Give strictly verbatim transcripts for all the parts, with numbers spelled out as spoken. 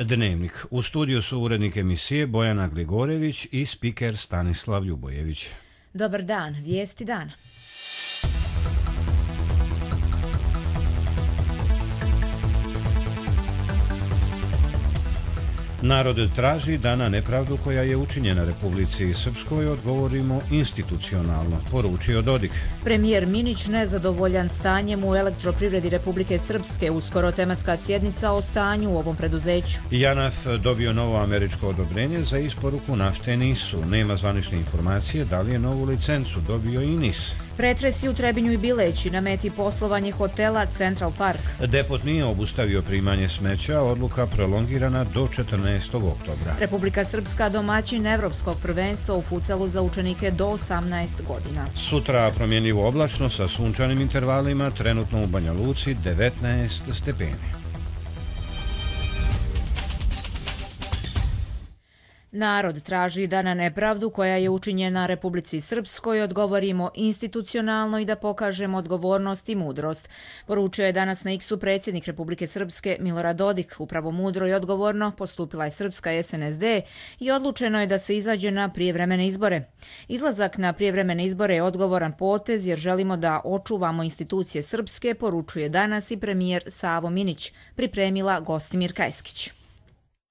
Dnevnik. U studiju su urednik emisije Bojana Gligorević i spiker Stanislav Ljubojević. Dobar dan, vijesti dana. Narod traži da na nepravdu koja je učinjena Republici Srpskoj odgovorimo institucionalno, poručio Dodik. Premijer Minić nezadovoljan stanjem u elektroprivredi Republike Srpske, uskoro tematska sjednica o stanju u ovom preduzeću. JANAF dobio novo američko odobrenje za isporuku nafte NIS-u. Nema zvanične informacije da li je novu licencu dobio i NIS. Pretresi u Trebinju i Bileći, na meti poslovanje hotela Central Park. Depot nije obustavio primanje smeća, odluka prolongirana do četrnaestog oktobra. Republika Srpska domaćin evropskog prvenstva u futsalu za učenike do osamnaest godina. Sutra promjenjivo oblačno sa sunčanim intervalima, trenutno u Banja Luci devetnaest stepeni. Narod traži da na nepravdu koja je učinjena Republici Srpskoj odgovorimo institucionalno i da pokažemo odgovornost i mudrost. Poručio je danas na X-u predsjednik Republike Srpske Milorad Dodik. Upravo mudro i odgovorno postupila je Srpska S N S D i odlučeno je da se izađe na prijevremene izbore. Izlazak na prijevremene izbore je odgovoran potez jer želimo da očuvamo institucije Srpske, poručuje danas i premijer Savo Minić, pripremila Gostimir Kajskić.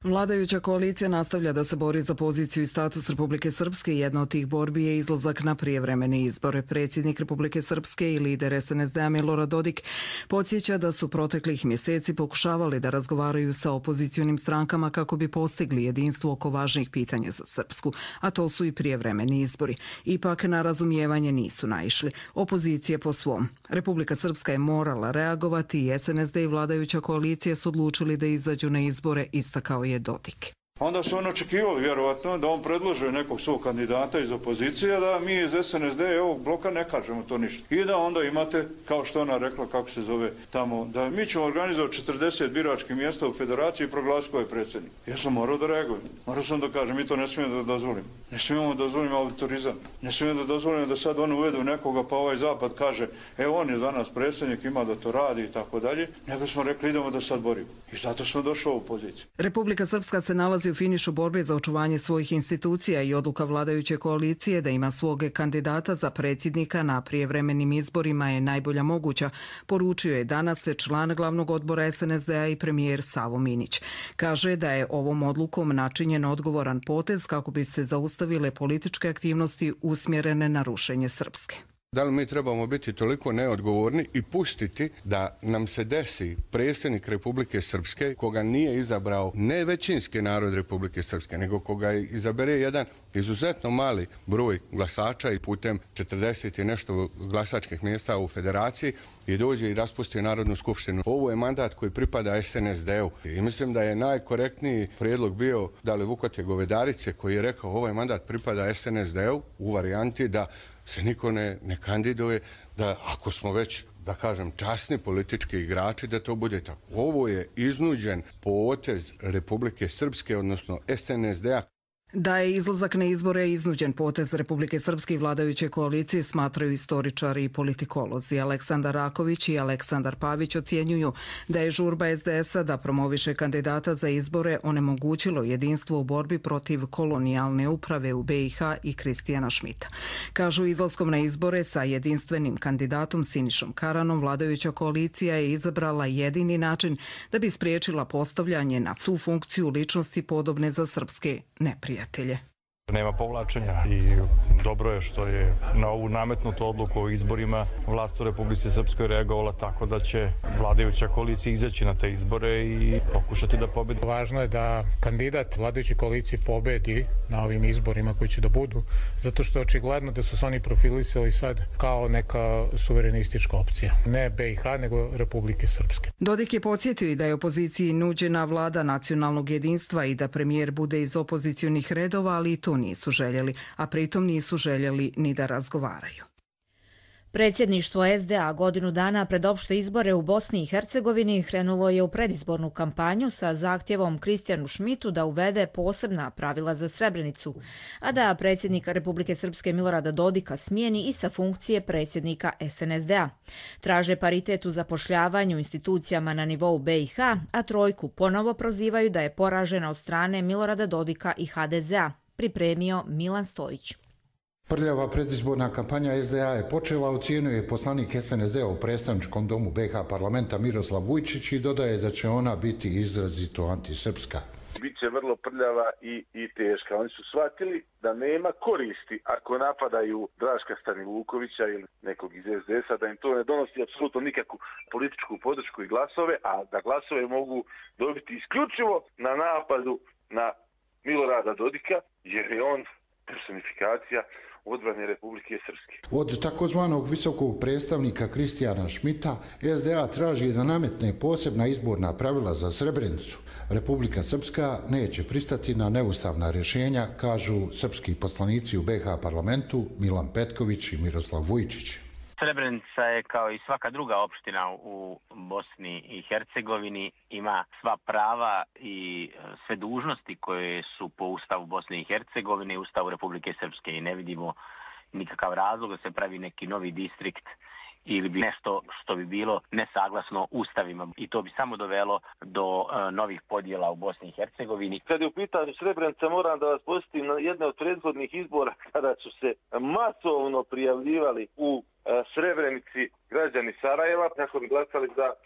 Vladajuća koalicija nastavlja da se bori za poziciju i status Republike Srpske i jedna od tih borbi je izlazak na prijevremene izbore. Predsjednik Republike Srpske i lider S N S D-a Milorad Dodik podsjeća da su proteklih mjeseci pokušavali da razgovaraju sa opozicionim strankama kako bi postigli jedinstvo oko važnih pitanja za Srpsku, a to su i prijevremeni izbori. Ipak na razumijevanje nisu naišli. Opozicije po svom. Republika Srpska je morala reagovati i S N S D i vladajuća koalicija su odlučili da izađu na izbore, istakao je Dodik. Onda su oni očekivali vjerovatno da on predlože nekog svog kandidata iz opozicije, da mi iz S N S D ovog bloka ne kažemo to ništa. I da onda imate, kao što ona rekla, kako se zove tamo, da mi ćemo organizovati četrdeset biračkih mjesta u federaciji i proglasiti ko je predsjednik. Ja sam morao da reagujem. Morao sam da kažem, mi to ne smijemo da dozvolimo. Ne smijemo da dozvolimo autorizam. Ne smijemo da dozvolimo da sad oni uvedu nekoga pa ovaj zapad kaže, e on je za nas predsjednik, ima da to radi i tako dalje. Nego smo rekli idemo da sad borimo. I zato smo došli u ovu poziciju. Republika Srpska se nalazi u finišu borbe za očuvanje svojih institucija i odluka vladajuće koalicije da ima svog kandidata za predsjednika na prijevremenim izborima je najbolja moguća, poručio je danas član glavnog odbora S N S D-a i premijer Savo Minić. Kaže da je ovom odlukom načinjen odgovoran potez kako bi se zaustavile političke aktivnosti usmjerene na rušenje Srpske. Da li mi trebamo biti toliko neodgovorni i pustiti da nam se desi predsjednik Republike Srpske koga nije izabrao ne većinski narod Republike Srpske, nego koga izabere jedan izuzetno mali broj glasača i putem četrdeset i nešto glasačkih mjesta u federaciji i dođe i raspusti Narodnu skupštinu. Ovo je mandat koji pripada S N S D-u i mislim da je najkorektniji prijedlog bio da li Vukote Govedarice koji je rekao ovaj mandat pripada S N S D-u u varijanti da se niko ne, ne kandiduje, da ako smo već, da kažem, časni politički igrači, da to bude tako. Ovo je iznuđen potez Republike Srpske, odnosno S N S D-a. Da je izlazak na izbore iznuđen potez Republike Srpske i vladajuće koalicije smatraju istoričari i politikolozi. Aleksandar Raković i Aleksandar Pavić ocjenjuju da je žurba S D S-a da promoviše kandidata za izbore onemogućilo jedinstvo u borbi protiv kolonijalne uprave u B i H i Kristijana Šmita. Kažu izlaskom na izbore sa jedinstvenim kandidatom Sinišom Karanom vladajuća koalicija je izabrala jedini način da bi spriječila postavljanje na tu funkciju ličnosti podobne za srpske neprijatelje. Nema povlačenja i dobro je što je na ovu nametnutu odluku o izborima vlast u Republici Srpskoj reagovala tako da će vladajuća koalicija izaći na te izbore i pokušati da pobedi. Važno je da kandidat vladajuće koalicije pobedi na ovim izborima koji će da budu, zato što je očigledno da su se oni profilisali sad kao neka suverenistička opcija. Ne B i H, nego Republike Srpske. Dodik je podsjetio i da je opoziciji nuđena vlada nacionalnog jedinstva i da premijer bude iz opozicionih redova, ali i to nisu željeli, a pritom nisu željeli ni da razgovaraju. Predsjedništvo S D A godinu dana pred opšte izbore u Bosni i Hercegovini krenulo je u predizbornu kampanju sa zahtjevom Kristijanu Šmitu da uvede posebna pravila za Srebrenicu, a da predsjednika Republike Srpske Milorada Dodika smijeni i sa funkcije predsjednika S N S D A. Traže paritet u zapošljavanju institucijama na nivou B i H, a trojku ponovo prozivaju da je poražena od strane Milorada Dodika i H D Z A, pripremio Milan Stojić. Prljava predizborna kampanja S D A je počela, ocjenjuje poslanik S N S D A u predstavničkom domu B i H parlamenta Miroslav Vujčić i dodaje da će ona biti izrazito antisrpska. Biće vrlo prljava i, i teška. Oni su shvatili da nema koristi ako napadaju Draška Stanivukovića ili nekog iz S D S-a, da im to ne donosi apsolutno nikakvu političku podršku i glasove, a da glasove mogu dobiti isključivo na napadu na Milorada Dodika, jer je on personifikacija odbrane Republike Srpske. Od takozvanog visokog predstavnika Kristijana Šmita S D A traži da nametne posebna izborna pravila za Srebrenicu. Republika Srpska neće pristati na neustavna rješenja, kažu srpski poslanici u B i H parlamentu Milan Petković i Miroslav Vujčić. Srebrenica je kao i svaka druga opština u Bosni i Hercegovini, ima sva prava i sve dužnosti koje su po Ustavu Bosne i Hercegovine i Ustavu Republike Srpske i ne vidimo nikakav razlog da se pravi neki novi distrikt ili bi nešto što bi bilo nesaglasno ustavima i to bi samo dovelo do uh, novih podjela u Bosni i Hercegovini. Kad je u pitanju Srebrenica, moram da vas podsjetim na jedne od prethodnih izbora kada su se masovno prijavljivali u uh, Srebrenici građani Sarajeva kako bi glasali za uh,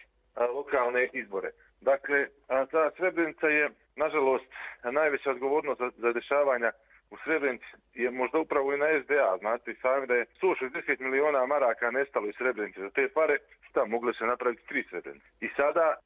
lokalne izbore. Dakle, uh, ta Srebrenica je, nažalost, najveća odgovornost za, za dešavanja u Srebrenici je možda upravo i na S D A. Znate i sami da je sto šezdeset miliona maraka nestalo iz Srebrenice. Za te pare šta mogle se napraviti tri Srebrenice. I sada a,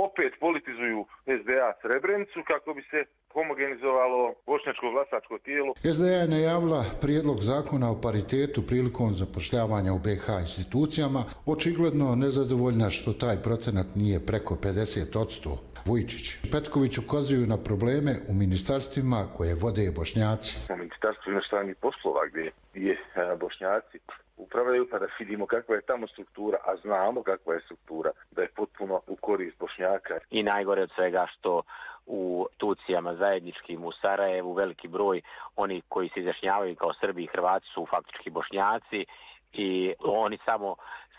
opet politizuju S D A Srebrenicu kako bi se homogenizovalo bošnjačko glasačko tijelo. S D A je najavila prijedlog zakona o paritetu prilikom zapošljavanja u B i H institucijama, očigledno nezadovoljna što taj procenat nije preko pedeset posto. Vujčić i Petković ukazuju na probleme u ministarstvima koje vode Bošnjaci. U ministarstvu inostranih poslova gdje je Bošnjaci upravljaju, pa da vidimo kakva je tamo struktura, a znamo kakva je struktura, da je potpuno u korist Bošnjaka. I najgore od svega što u institucijama zajedničkim u Sarajevu veliki broj oni koji se izjašnjavaju kao Srbi i Hrvati su faktički Bošnjaci i oni samo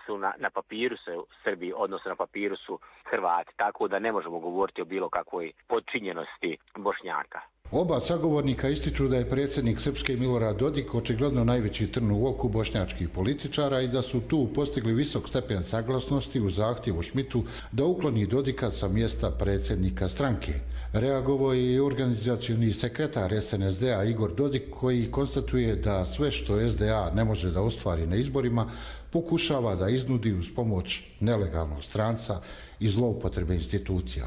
su na, na papiru se Srbi, odnosno na papiru su Hrvati, tako da ne možemo govoriti o bilo kakvoj podčinjenosti Bošnjaka. Oba sagovornika ističu da je predsjednik Srpske Milorad Dodik očigledno najveći trn u oku bošnjačkih političara i da su tu postigli visok stepen saglasnosti u zahtjevu Šmitu da ukloni Dodika sa mjesta predsjednika stranke. Reagovao je i organizacioni sekretar S N S D A Igor Dodik koji konstatuje da sve što S D A ne može da ostvari na izborima pokušava da iznudi uz pomoć nelegalnog stranca i zloupotrebe institucija.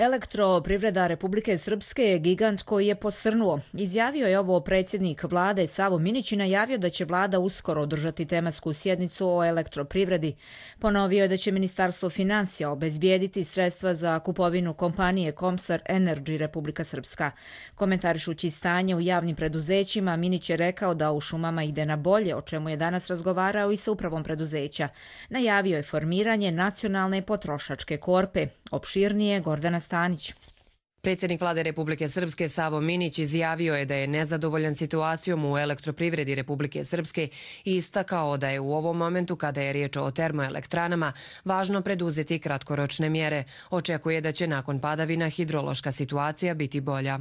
Elektroprivreda Republike Srpske je gigant koji je posrnuo. Izjavio je ovo predsjednik vlade Savo Minić i najavio da će vlada uskoro održati tematsku sjednicu o elektroprivredi. Ponovio je da će Ministarstvo financija obezbijediti sredstva za kupovinu kompanije Komsar Energy Republika Srpska. Komentarišući stanje u javnim preduzećima, Minić je rekao da u šumama ide na bolje, o čemu je danas razgovarao i sa upravom preduzeća. Najavio je formiranje nacionalne potrošačke korpe. Opširnije Gordana Stanić. Predsjednik vlade Republike Srpske Savo Minić izjavio je da je nezadovoljan situacijom u elektroprivredi Republike Srpske i istakao da je u ovom momentu, kada je riječ o termoelektranama, važno preduzeti kratkoročne mjere. Očekuje da će nakon padavina hidrološka situacija biti bolja.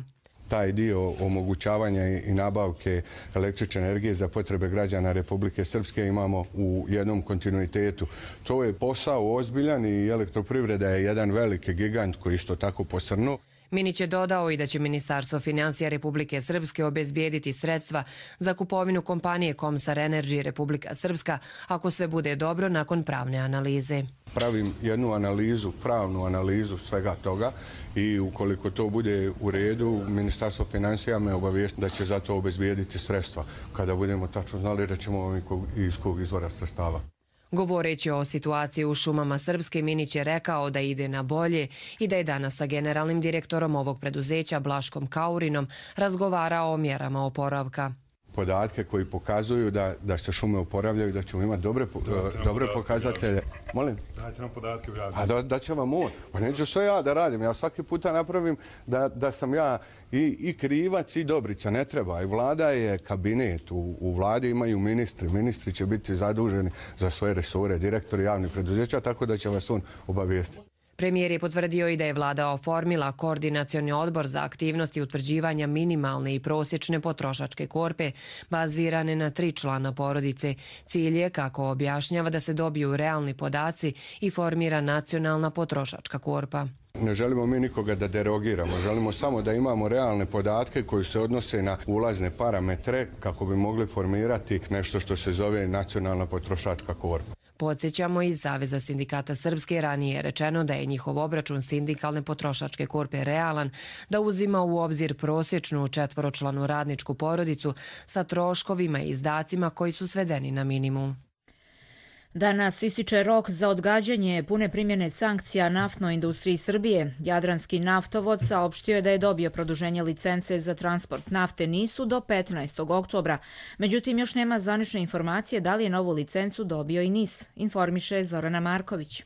Taj dio omogućavanja i nabavke električne energije za potrebe građana Republike Srpske imamo u jednom kontinuitetu. To je posao ozbiljan i elektroprivreda je jedan veliki gigant koji isto tako posrnuo. Minić je dodao i da će Ministarstvo financija Republike Srpske obezbijediti sredstva za kupovinu kompanije Komsar Energy Republika Srpska ako sve bude dobro nakon pravne analize. Pravim jednu analizu, pravnu analizu svega toga i ukoliko to bude u redu, Ministarstvo financija me obavijesti da će za to obezbijediti sredstva kada budemo tačno znali da ćemo iz kog izvora sredstava. Govoreći o situaciji u šumama Srpske, Minić je rekao da ide na bolje i da je danas sa generalnim direktorom ovog preduzeća Blaškom Kaurinom razgovarao o mjerama oporavka. Podatke koji pokazuju da, da se šume oporavljaju, da ćemo imati dobre, da, dobre pokazatelje. Molim? Dajte nam podatke u radu. A da, da će vam on. Pa neću sve ja da radim. Ja svaki puta napravim da, da sam ja i, i krivac i dobrica. Ne treba. I vlada je kabinet. U, u vladi imaju ministri. Ministri će biti zaduženi za svoje resore, direktori javnih preduzeća, tako da će vas on obavijestiti. Premijer je potvrdio i da je vlada oformila koordinacioni odbor za aktivnosti utvrđivanja minimalne i prosječne potrošačke korpe bazirane na tri člana porodice. Cilj je, kako objašnjava, da se dobiju realni podaci i formira nacionalna potrošačka korpa. Ne želimo mi nikoga da derogiramo, želimo samo da imamo realne podatke koji se odnose na ulazne parametre kako bi mogli formirati nešto što se zove nacionalna potrošačka korpa. Podsjećamo, iz Saveza sindikata Srpske ranije je rečeno da je njihov obračun sindikalne potrošačke korpe realan, da uzima u obzir prosječnu četvoročlanu radničku porodicu sa troškovima i izdacima koji su svedeni na minimum. Danas ističe rok za odgađanje pune primjene sankcija naftnoj industriji Srbije. Jadranski naftovod saopštio je da je dobio produženje licence za transport nafte NIS-u do petnaestog oktobra. Međutim, još nema zvanične informacije da li je novu licencu dobio i NIS, informiše Zorana Marković.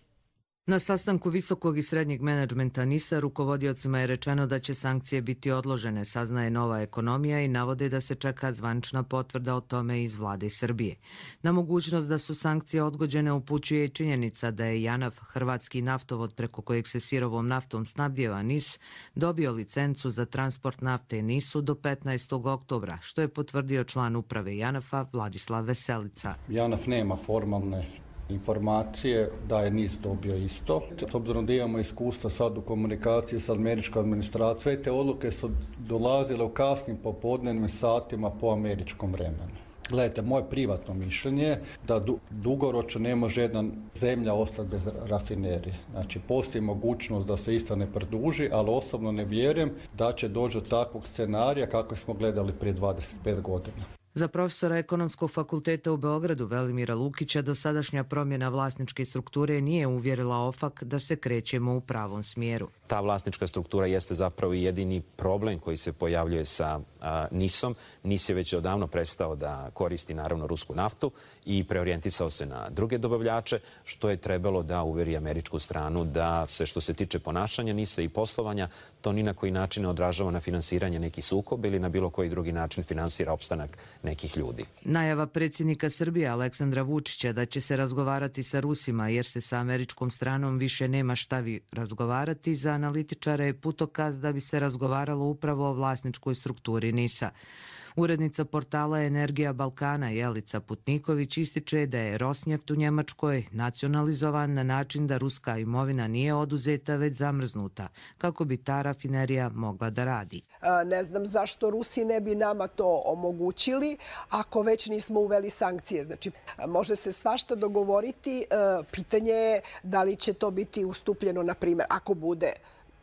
Na sastanku visokog i srednjeg menadžmenta NIS-a rukovodiocima je rečeno da će sankcije biti odložene, saznaje Nova ekonomija i navode da se čeka zvanična potvrda o tome iz vlade Srbije. Na mogućnost da su sankcije odgođene upućuje i činjenica da je JANAF, hrvatski naftovod preko kojeg se sirovom naftom snabdijeva NIS, dobio licencu za transport nafte NIS-u do petnaestog oktobra, što je potvrdio član uprave JANAF-a Vladislav Veselica. JANAF nema formalne informacije da je NIS dobio isto. S obzirom da imamo iskustva sad u komunikaciji sa američkom administracijom, sve te odluke su dolazile u kasnim popodnevnim satima po američkom vremenu. Gledajte, moje privatno mišljenje je da du, dugoročno ne može jedna zemlja ostati bez rafinerije. Znači, postoji mogućnost da se isto ne produži, ali osobno ne vjerujem da će doći do takvog scenarija kako smo gledali prije dvadeset pet godina. Za profesora Ekonomskog fakulteta u Beogradu Velimira Lukića dosadašnja promjena vlasničke strukture nije uvjerila OFAK da se krećemo u pravom smjeru. Ta vlasnička struktura jeste zapravo jedini problem koji se pojavljuje sa a, NIS-om. NIS je već odavno prestao da koristi naravno rusku naftu i preorijentisao se na druge dobavljače, što je trebalo da uvjeri američku stranu da se, što se tiče ponašanja NIS-a i poslovanja, to ni na koji način ne odražava na finansiranje neki sukob ili na bilo koji drugi način finansira opstanak nekih ljudi. Najava predsjednika Srbije Aleksandra Vučića da će se razgovarati sa Rusima jer se sa američkom stranom više nema šta vi razgovarati, za analitičare je putokaz da bi se razgovaralo upravo o vlasničkoj strukturi NIS-a. Urednica portala Energija Balkana Jelica Putniković ističe da je Rosneft u Njemačkoj nacionalizovan na način da ruska imovina nije oduzeta već zamrznuta, kako bi ta rafinerija mogla da radi. Ne znam zašto Rusi ne bi nama to omogućili ako već nismo uveli sankcije. Znači, može se svašta dogovoriti. Pitanje je da li će to biti ustupljeno, na primjer, ako bude.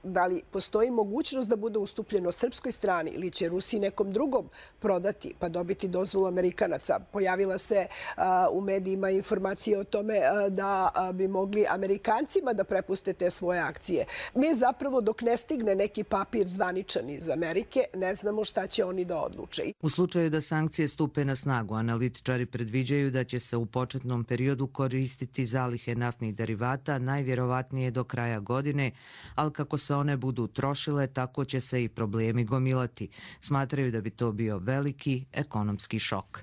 Da li postoji mogućnost da bude ustupljeno srpskoj strani ili će Rusi nekom drugom prodati pa dobiti dozvolu Amerikanaca? Pojavila se a, u medijima informacije o tome a, da a, bi mogli Amerikancima da prepuste te svoje akcije. Mi zapravo dok ne stigne neki papir zvaničan iz Amerike ne znamo šta će oni da odluče. U slučaju da sankcije stupe na snagu, analitičari predviđaju da će se u početnom periodu koristiti zalihe naftnih derivata, najvjerovatnije do kraja godine, ali kako se one budu trošile, tako će se i problemi gomilati. Smatraju da bi to bio veliki ekonomski šok.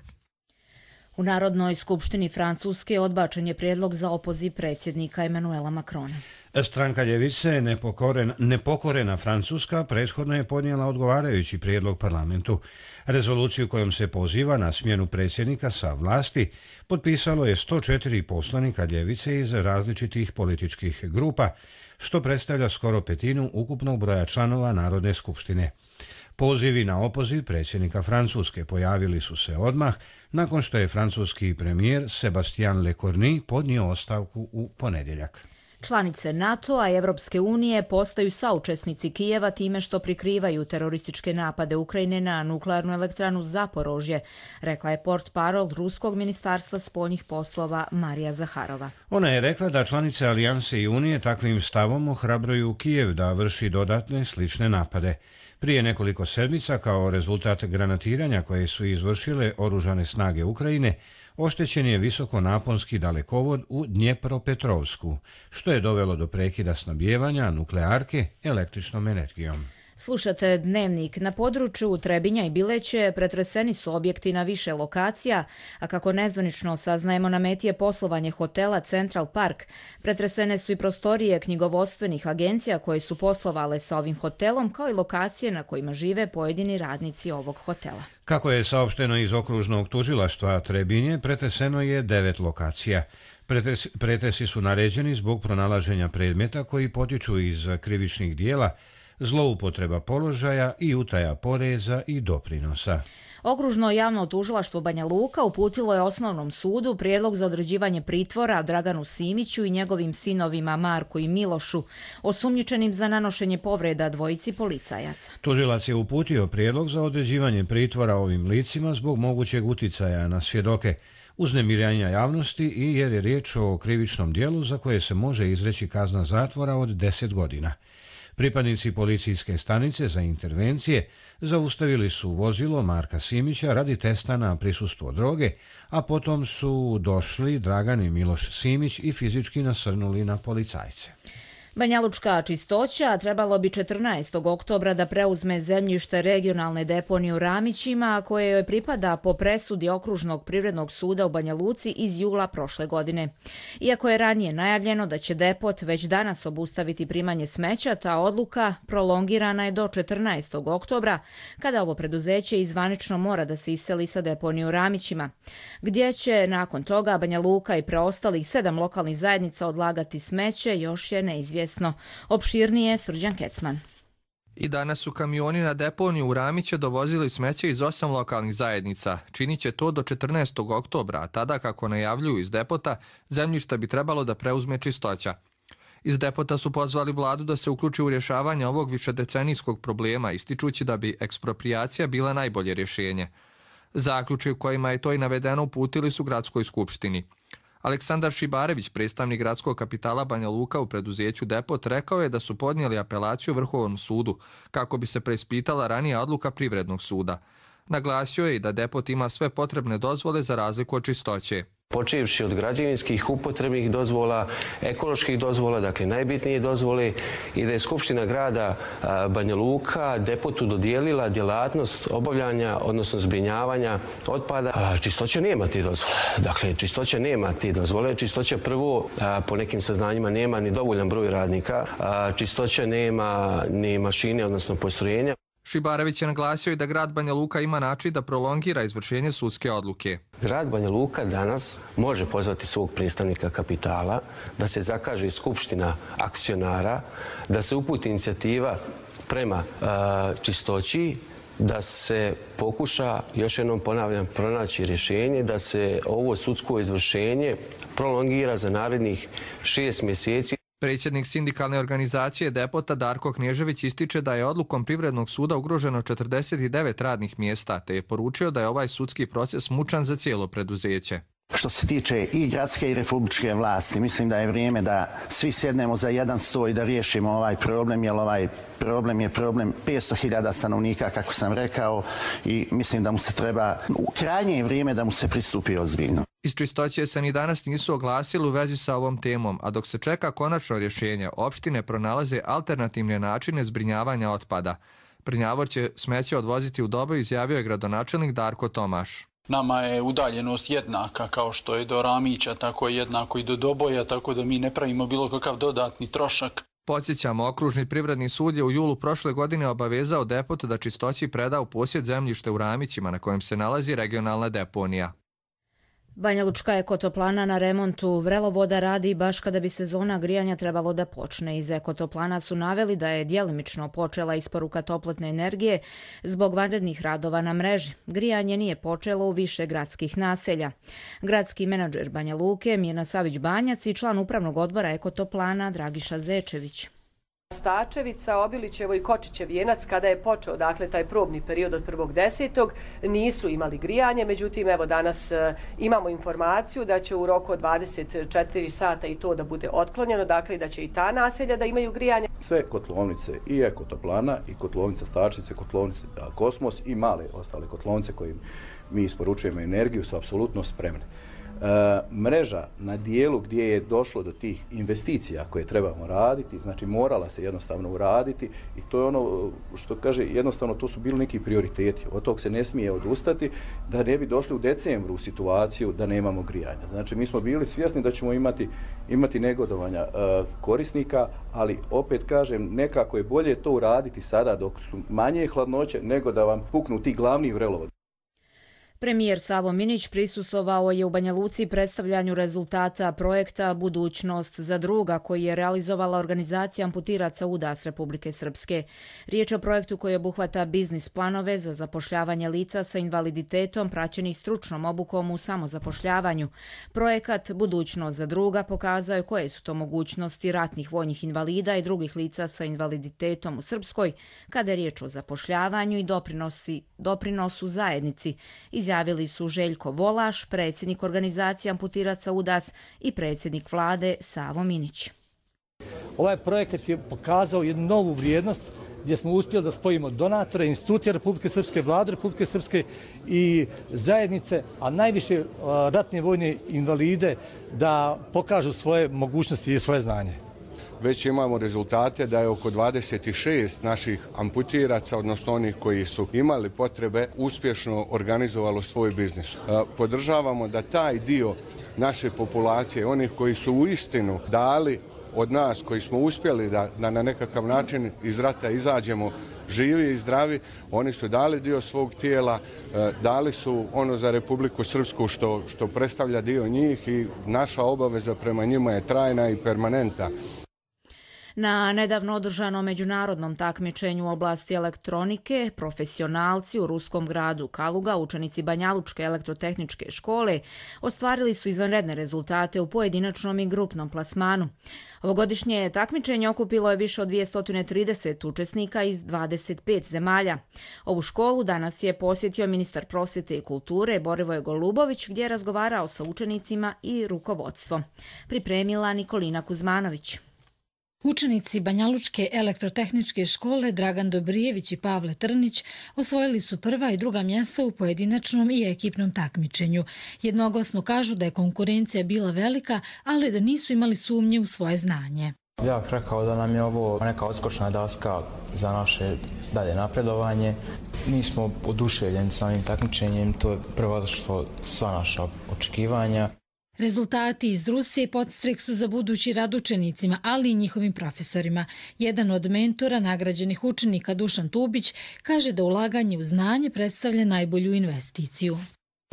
U Narodnoj skupštini Francuske odbačen je prijedlog za opoziv predsjednika Emanuela Macrona. Stranka ljevice nepokorena, nepokorena Francuska prethodno je podnijela odgovarajući prijedlog parlamentu. Rezoluciju kojom se poziva na smjenu predsjednika sa vlasti potpisalo je sto četiri poslanika ljevice iz različitih političkih grupa, što predstavlja skoro petinu ukupnog broja članova Narodne skupštine. Pozivi na opoziv predsjednika Francuske pojavili su se odmah nakon što je francuski premijer Sébastien Lecornu podnio ostavku u ponedjeljak. Članice NATO-a i Evropske unije postaju saučesnici Kijeva time što prikrivaju terorističke napade Ukrajine na nuklearnu elektranu Zaporožje, rekla je portparol Ruskog ministarstva spoljnih poslova Marija Zaharova. Ona je rekla da članice Alijanse i Unije takvim stavom ohrabruju Kijev da vrši dodatne slične napade. Prije nekoliko sedmica, kao rezultat granatiranja koje su izvršile oružane snage Ukrajine, oštećen je visokonaponski dalekovod u Dnjepropetrovsku, što je dovelo do prekida snabdijevanja nuklearke električnom energijom. Slušate Dnevnik. Na području Trebinja i Bileće pretreseni su objekti na više lokacija, a kako nezvanično saznajemo, na meti je poslovanje hotela Central Park. Pretresene su i prostorije knjigovodstvenih agencija koje su poslovale sa ovim hotelom, kao i lokacije na kojima žive pojedini radnici ovog hotela. Kako je saopšteno iz okružnog tužilaštva Trebinje, pretreseno je devet lokacija. Pretres, pretresi su naređeni zbog pronalaženja predmeta koji potiču iz krivičnih dijela, zloupotreba položaja i utaja poreza i doprinosa. Okružno javno tužilaštvo Banja Luka uputilo je osnovnom sudu prijedlog za određivanje pritvora Draganu Simiću i njegovim sinovima Marku i Milošu, osumnjičenim za nanošenje povreda dvojici policajaca. Tužilac je uputio prijedlog za određivanje pritvora ovim licima zbog mogućeg uticaja na svjedoke, uznemiravanja javnosti i jer je riječ o krivičnom dijelu za koje se može izreći kazna zatvora od deset godina. Pripadnici policijske stanice za intervencije zaustavili su vozilo Marka Simića radi testa na prisustvo droge, a potom su došli Dragan i Miloš Simić i fizički nasrnuli na policajce. Banjalučka čistoća trebalo bi četrnaestog oktobra da preuzme zemljište regionalne deponije u Ramićima, koje joj pripada po presudi Okružnog privrednog suda u Banja Luci iz jula prošle godine. Iako je ranije najavljeno da će depot već danas obustaviti primanje smeća, ta odluka prolongirana je do četrnaestog oktobra, kada ovo preduzeće izvanično mora da se iseli sa deponije u Ramićima, gdje će nakon toga Banja Luka i preostalih sedam lokalnih zajednica odlagati smeće, još je neizvjesno. Opširnije Srđan Kecman. I danas su kamioni na deponiju u Ramiće dovozili smeće iz osam lokalnih zajednica. Činit će to do četrnaestog oktobra, a tada, kako najavljuju iz depota, zemljišta bi trebalo da preuzme čistoća. Iz depota su pozvali vladu da se uključi u rješavanje ovog višedecenijskog problema, ističući da bi eksproprijacija bila najbolje rješenje. Zaključke u kojima je to i navedeno uputili su gradskoj skupštini. Aleksandar Šibarević, predstavnik gradskog kapitala Banja Luka u preduzeću Depot, rekao je da su podnijeli apelaciju Vrhovnom sudu kako bi se preispitala ranija odluka Privrednog suda. Naglasio je i da Depot ima sve potrebne dozvole za razliku od čistoće. Počevši od građevinskih, upotrebnih dozvola, ekoloških dozvola, dakle najbitnije dozvole, i da je Skupština grada Banja Luka Depotu dodijelila djelatnost obavljanja, odnosno zbrinjavanja otpada. Čistoća nema ti dozvole. Dakle, čistoća nema ti dozvole. Čistoća prvo, po nekim saznanjima, nema ni dovoljan broj radnika. Čistoća nema ni mašine, odnosno postrojenja. Šibarević je naglasio i da grad Banja Luka ima način da prolongira izvršenje sudske odluke. Grad Banja Luka danas može pozvati svog predstavnika kapitala, da se zakaže skupština akcionara, da se uputi inicijativa prema uh, čistoći, da se pokuša, još jednom ponavljam, pronaći rješenje, da se ovo sudsko izvršenje prolongira za narednih šest mjeseci. Predsjednik sindikalne organizacije Depota Darko Knježević ističe da je odlukom Privrednog suda ugroženo četrdeset devet radnih mjesta, te je poručio da je ovaj sudski proces mučan za cijelo preduzeće. Što se tiče i gradske i republičke vlasti, mislim da je vrijeme da svi sjednemo za jedan sto i da riješimo ovaj problem, jer ovaj problem je problem petsto hiljada stanovnika, kako sam rekao, i mislim da mu se treba, u krajnje vrijeme da mu se pristupi ozbiljno. Iz čistoće se ni danas nisu oglasili u vezi sa ovom temom, a dok se čeka konačno rješenje, opštine pronalaze alternativne načine zbrinjavanja otpada. Prnjavor će smeće odvoziti u Doboj, izjavio je gradonačelnik Darko Tomaš. Nama je udaljenost jednaka, kao što je do Ramića, tako je jednako i do Doboja, tako da mi ne pravimo bilo kakav dodatni trošak. Podsjećamo, Okružni privredni sud je u julu prošle godine obavezao Depot da čistoći preda u posjed zemljište u Ramićima, na kojem se nalazi regionalna deponija. Banjalučka ekotoplana na remontu vrelovoda radi baš kada bi sezona grijanja trebalo da počne. Iz ekotoplana su naveli da je djelimično počela isporuka toplotne energije zbog vanrednih radova na mreži. Grijanje nije počelo u više gradskih naselja. Gradski menadžer Banja Luke Mirna Savić-Banjac i član upravnog odbora ekotoplana Dragiša Zečević. Stačevica, Obilićevo i Kočićev Vijenac, kada je počeo dakle taj probni period od prvog desetog nisu imali grijanje, međutim evo danas e, imamo informaciju da će u roku od dvadeset četiri sata i to da bude otklonjeno, dakle da će i ta naselja da imaju grijanje. Sve kotlovnice i ekotoplana i kotlovnica Stačevice, kotlovnice Kosmos i male ostale kotlovnice kojim mi isporučujemo energiju su apsolutno spremne. E, mreža na dijelu gdje je došlo do tih investicija koje trebamo raditi, znači morala se jednostavno uraditi i to je ono što kaže, jednostavno to su bili neki prioriteti, od tog se ne smije odustati da ne bi došli u decembru u situaciju da nemamo grijanja. Znači mi smo bili svjesni da ćemo imati, imati negodovanja e, korisnika, ali opet kažem, nekako je bolje to uraditi sada dok su manje hladnoće nego da vam puknu ti glavni vrelovodi. Premijer Savo Minić prisustvovao je u Banja Luci predstavljanju rezultata projekta Budućnost za druga koji je realizovala organizacija amputiraca U D A S Republike Srpske. Riječ o projektu koji obuhvata biznis planove za zapošljavanje lica sa invaliditetom praćenih stručnom obukom u samozapošljavanju. Projekat Budućnost za druga pokazao je koje su to mogućnosti ratnih vojnih invalida i drugih lica sa invaliditetom u Srpskoj kada je riječ o zapošljavanju i doprinosi, doprinosu zajednici. Izjavili su Željko Volaš, predsjednik organizacije amputiraca U D A S i predsjednik vlade Savo Minić. Ovaj projekat je pokazao jednu novu vrijednost gdje smo uspjeli da spojimo donatore, institucije Republike Srpske, vlade Republike Srpske i zajednice, a najviše ratne vojne invalide da pokažu svoje mogućnosti i svoje znanje. Već imamo rezultate da je oko dvadeset šest naših amputiraca, odnosno onih koji su imali potrebe, uspješno organizovalo svoj biznis. Podržavamo da taj dio naše populacije, onih koji su u istinu dali od nas, koji smo uspjeli da, da na nekakav način iz rata izađemo živi i zdravi, oni su dali dio svog tijela, dali su ono za Republiku Srpsku što, što predstavlja dio njih i naša obaveza prema njima je trajna i permanentna. Na nedavno održanom međunarodnom takmičenju u oblasti elektronike, profesionalci u ruskom gradu Kaluga, učenici Banjalučke elektrotehničke škole, ostvarili su izvanredne rezultate u pojedinačnom i grupnom plasmanu. Ovogodišnje takmičenje okupilo je više od dvjesto trideset učesnika iz dvadeset pet zemalja. Ovu školu danas je posjetio ministar prosvjete i kulture Borivoje Golubović, gdje je razgovarao sa učenicima i rukovodstvom. Pripremila Nikolina Kuzmanović. Učenici Banjalučke elektrotehničke škole Dragan Dobrijević i Pavle Trnić osvojili su prva i druga mjesta u pojedinačnom i ekipnom takmičenju. Jednoglasno kažu da je konkurencija bila velika, ali da nisu imali sumnje u svoje znanje. Ja bih rekao da nam je ovo neka odskočna daska za naše dalje napredovanje. Mi smo oduševljeni sa ovim takmičenjem, to je prevladalo sva naša očekivanja. Rezultati iz Rusije podstrek su za budući rad učenicima, ali i njihovim profesorima. Jedan od mentora nagrađenih učenika, Dušan Tubić, kaže da ulaganje u znanje predstavlja najbolju investiciju.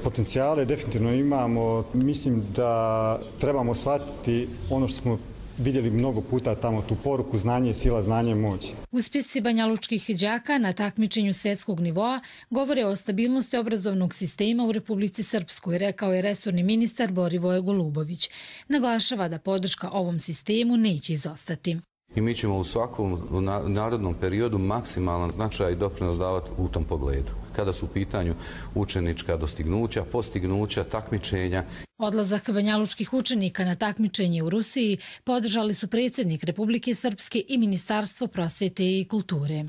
Potencijale definitivno imamo. Mislim da trebamo shvatiti ono što smo vidjeli mnogo puta tamo, tu poruku znanje je sila, znanje je moć. Uspjesi banjalučkih đaka na takmičenju svjetskog nivoa govore o stabilnosti obrazovnog sistema u Republici Srpskoj, rekao je resorni ministar Borivoje Golubović. Naglašava da podrška ovom sistemu neće izostati. I mi ćemo u svakom narodnom periodu maksimalan značaj i doprinos davati u tom pogledu. Kada su u pitanju učenička dostignuća, postignuća, takmičenja. Odlazak banjalučkih učenika na takmičenje u Rusiji podržali su predsjednik Republike Srpske i Ministarstvo prosvjete i kulture.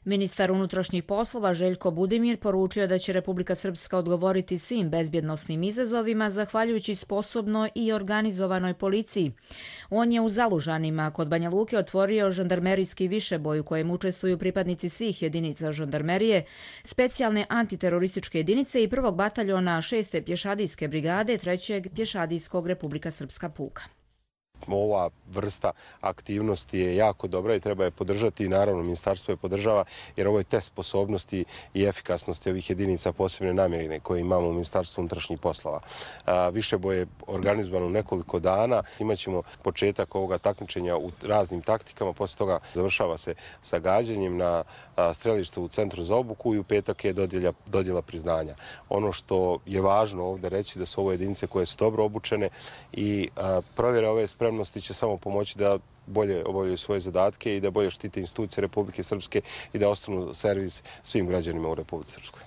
Ministar unutrašnjih poslova Željko Budimir poručio da će Republika Srpska odgovoriti svim bezbjednosnim izazovima zahvaljujući sposobnoj i organizovanoj policiji. On je u Zalužanima kod Banja Luke otvorio žandarmerijski višeboj u kojem učestvuju pripadnici svih jedinica žandarmerije, specijalne antiterorističke jedinice i prvog bataljona šeste pješadijske brigade trećeg pješadijskog Republika Srpska puka. ova vrsta aktivnosti je jako dobra i treba je podržati i naravno ministarstvo je podržava jer ovo je test sposobnosti i efikasnosti ovih jedinica posebne namjene koje imamo u Ministarstvu unutrašnjih poslova. Višeboj je organizovan u nekoliko dana. Imaćemo početak ovoga takmičenja u raznim taktikama, poslije toga završava se sa gađanjem na strelištu u Centru za obuku i u petak je dodjela, dodjela priznanja. Ono što je važno ovdje reći da su ovo jedinice koje su dobro obučene i provjera ove spremnosti će samo pomoći da bolje obavljaju svoje zadatke i da bolje štite institucije Republike Srpske i da ostanu servis svim građanima u Republici Srpskoj.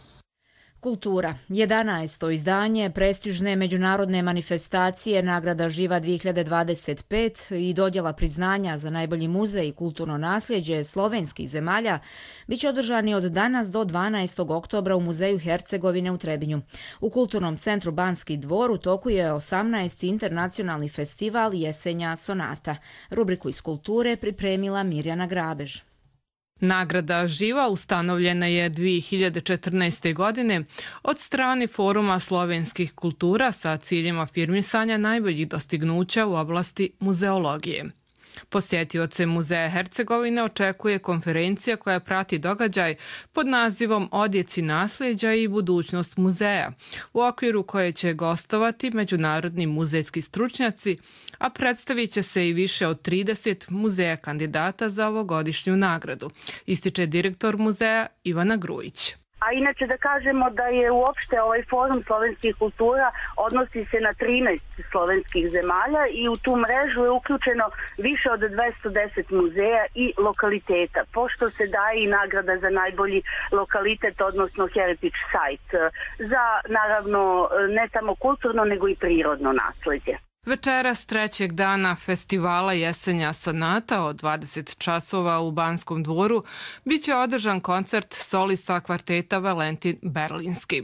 Kultura. jedanaesto izdanje prestižne međunarodne manifestacije Nagrada Živa dvije hiljade dvadeset pet i dodjela priznanja za najbolji muzej i kulturno nasljeđe slovenskih zemalja biće održani od danas do dvanaestog oktobra u Muzeju Hercegovine u Trebinju. U Kulturnom centru Banski dvor u toku je osamnaesti internacionalni festival Jesenja sonata. Rubriku iz kulture pripremila Mirjana Grabež. Nagrada Živa ustanovljena je dvije hiljade četrnaeste. godine od strane Foruma slovenskih kultura sa ciljem afirmisanja najboljih dostignuća u oblasti muzeologije. Posjetioce Muzeja Hercegovine očekuje konferencija koja prati događaj pod nazivom Odjeci nasljeđa i budućnost muzeja, u okviru koje će gostovati međunarodni muzejski stručnjaci, a predstavit će se i više od trideset muzeja kandidata za ovogodišnju nagradu, ističe direktor muzeja Ivana Grujić. A inače da kažemo da je uopšte ovaj forum slovenskih kultura odnosi se na trinaest slovenskih zemalja i u tu mrežu je uključeno više od dvesta deset muzeja i lokaliteta, pošto se daje i nagrada za najbolji lokalitet, odnosno heritage site, za naravno ne samo kulturno nego i prirodno nasledđe. Večeras trećeg dana festivala Jesenja sonata od dvadeset časova u Banskom dvoru biće održan koncert solista kvarteta Valentin Berlinski.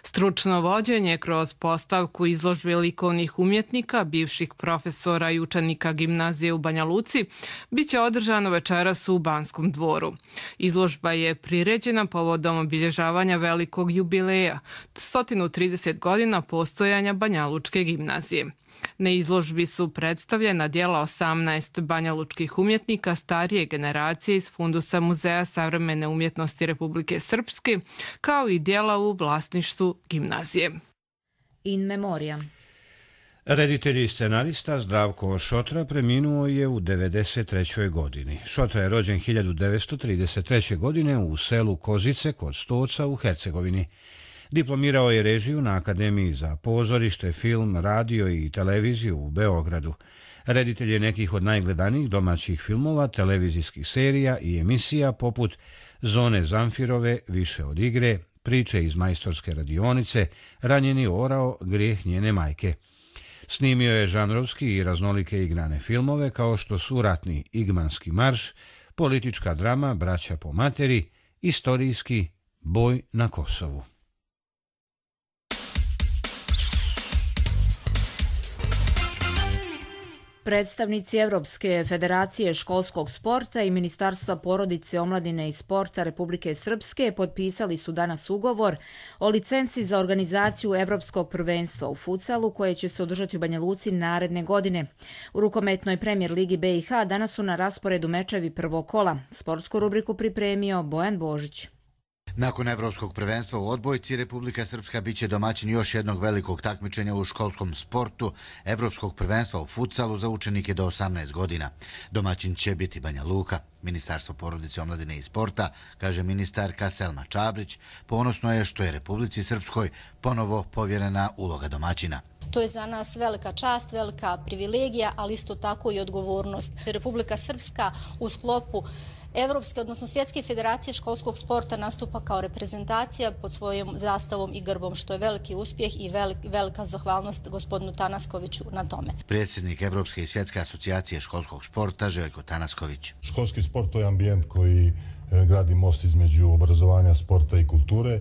Stručno vođenje kroz postavku izložbe likovnih umjetnika, bivših profesora i učenika gimnazije u Banja Luci, biće održano večeras u Banskom dvoru. Izložba je priređena povodom obilježavanja velikog jubileja, sto trideset godina postojanja Banjalučke gimnazije. Na izložbi su predstavljena djela osamnaest banjalučkih umjetnika starije generacije iz fundusa Muzeja savremene umjetnosti Republike Srpske, kao i djela u vlasništvu gimnazije. In memoriam. Reditelj i scenarista Zdravko Šotra preminuo je u devedeset trećoj. godini. Šotra je rođen hiljadu devetsto trideset treće. godine u selu Kozice kod Stoca u Hercegovini. Diplomirao je režiju na Akademiji za pozorište, film, radio i televiziju u Beogradu. Reditelj je nekih od najgledanijih domaćih filmova, televizijskih serija i emisija poput Zone Zamfirove, Više od igre, Priče iz majstorske radionice, Ranjeni orao, Grijeh njene majke. Snimio je žanrovski i raznolike igrane filmove kao što su Ratni igmanski marš, Politička drama Braća po materi, Istorijski Boj na Kosovu. Predstavnici Evropske federacije školskog sporta i Ministarstva porodice, omladine i sporta Republike Srpske potpisali su danas ugovor o licenci za organizaciju Evropskog prvenstva u futsalu koje će se održati u Banja Luci naredne godine. U rukometnoj premijer ligi B i H danas su na rasporedu mečevi prvog kola. Sportsku rubriku pripremio Bojan Božić. Nakon Evropskog prvenstva u odbojci, Republika Srpska biće domaćin još jednog velikog takmičenja u školskom sportu, Evropskog prvenstva u futsalu za učenike do osamnaest godina. Domaćin će biti Banja Luka. Ministarstvo porodice, omladine i sporta, kaže ministarka Selma Čabrić, ponosno je što je Republici Srpskoj ponovo povjerena uloga domaćina. To je za nas velika čast, velika privilegija, ali isto tako i odgovornost. Republika Srpska u sklopu Evropske, odnosno Svjetske federacije školskog sporta nastupa kao reprezentacija pod svojom zastavom i grbom, što je veliki uspjeh i velika zahvalnost gospodinu Tanaskoviću na tome. Predsjednik Evropske i Svjetske asocijacije školskog sporta Željko Tanasković. Školski sport to je ambijent koji gradi most između obrazovanja, sporta i kulture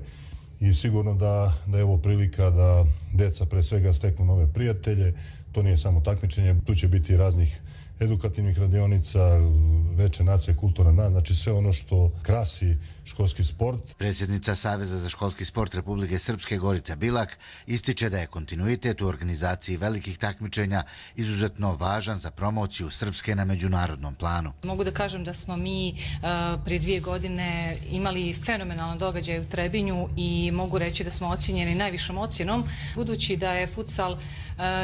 i sigurno da, da je ovo prilika da deca pre svega steknu nove prijatelje. To nije samo takmičenje, tu će biti raznih edukativnih radionica, veče nacije, kulturna dan, znači sve ono što krasi školski sport. Predsjednica Saveza za školski sport Republike Srpske Gorica Bilak ističe da je kontinuitet u organizaciji velikih takmičenja izuzetno važan za promociju Srpske na međunarodnom planu. Mogu da kažem da smo mi uh, prije dvije godine imali fenomenalan događaj u Trebinju i mogu reći da smo ocijenjeni najvišom ocjenom, budući da je futsal uh,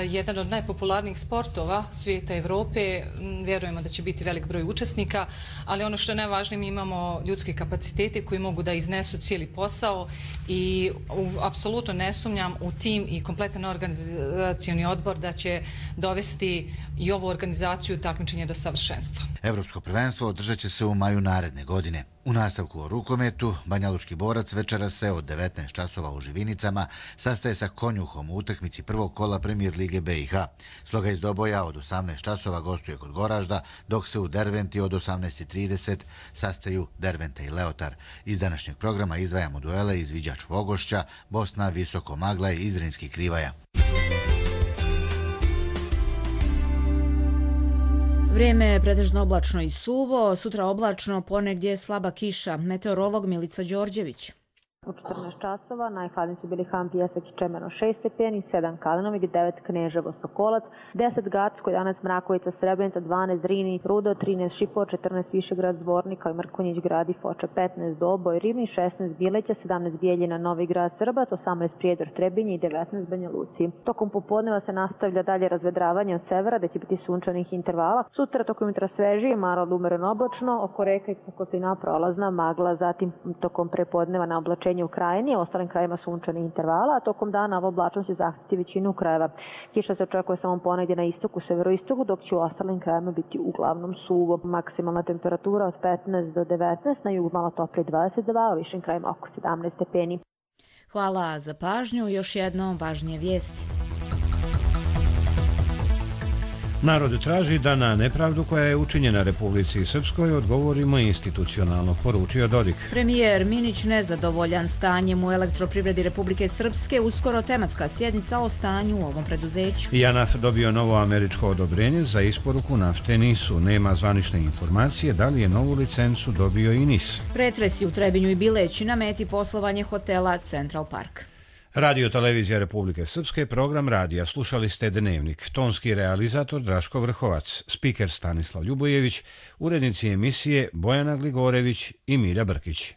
jedan od najpopularnijih sportova svijeta Evrope. Vjerujemo da će biti velik broj učesnika, ali ono što je najvažnije, mi imamo ljudske kapacitete koji mogu da iznesu cijeli posao i u, apsolutno ne sumnjam u tim i kompletan organizacioni odbor da će dovesti i ovu organizaciju takmičenja do savršenstva. Evropsko prvenstvo održat će se u maju naredne godine. U nastavku o rukometu, Banjalučki borac večera se od devetnaest časova u Živinicama sastaje sa Konjuhom u utakmici prvog kola Premier lige B i H. Sloga iz Doboja od osamnaest časova gostuje kod Goražda, dok se u Derventi od osamnaest i trideset sastaju Derventa i Leotar. Iz današnjeg programa izdvajamo duele Izviđač Vogošća, Bosna, Visoko Maglaj i Zrinski Krivaja. Vrijeme je pretežno oblačno i suvo, sutra oblačno, ponegdje slaba kiša. Meteorolog Milica Đorđević. U četrnaest časova najhladniji su bili Han, Pijesak i Čemeno šest stepeni, sedam Kalinovik, devet Kneževo, Sokolac, deset Gacko, jedanaest Mrakovica, Srebrenica, dvanaest Drini, Rudo, trinaest Šipo, četrnaest Višegrad, Zvornik, kao i Mrkonjić grad i Foča, petnaest Doboj, Rivni, šesnaest Bileća, sedamnaest Bijeljina, Novi grad, Srbac, osamnaest Prijedor, Trebinje i devetnaest Banja Luci. Tokom popodneva se nastavlja dalje razvedravanje od severa, da će biti sunčanih intervala. Sutra tokom jutra svežije, malo umjereno oblačno, oko reka i pukotina prolazna magla, zatim tokom prepodneva na oblačenje u Krajini, u ostalim krajima sunčanih intervala, a tokom dana ova oblačnost će zahtiti većinu krajeva. Kiša se očekuje samo ponegdje na istoku, severoistoku, dok će u ostalim krajima biti uglavnom suvo. Maksimalna temperatura od petnaest do devetnaest, na jugu malo toplije dvadeset dva, a u višim krajima oko sedamnaest stepeni. Hvala za pažnju. Još jednom važnije vijesti. Narod traži da na nepravdu koja je učinjena Republici Srpskoj odgovorimo institucionalno, poručio Dodik. Premijer Minić nezadovoljan stanjem u elektroprivredi Republike Srpske, uskoro tematska sjednica o stanju u ovom preduzeću. JANAF dobio novo američko odobrenje za isporuku nafte Nisu. Nema zvanične informacije da li je novu licencu dobio i Nis. Pretresi u Trebinju i Bileći na meti poslovanje hotela Central Park. Radio Televizija Republike Srpske, program radija. Slušali ste Dnevnik. Tonski realizator Draško Vrhovac, spiker Stanislav Ljubojević, urednici emisije Bojana Gligorević i Milja Brkić.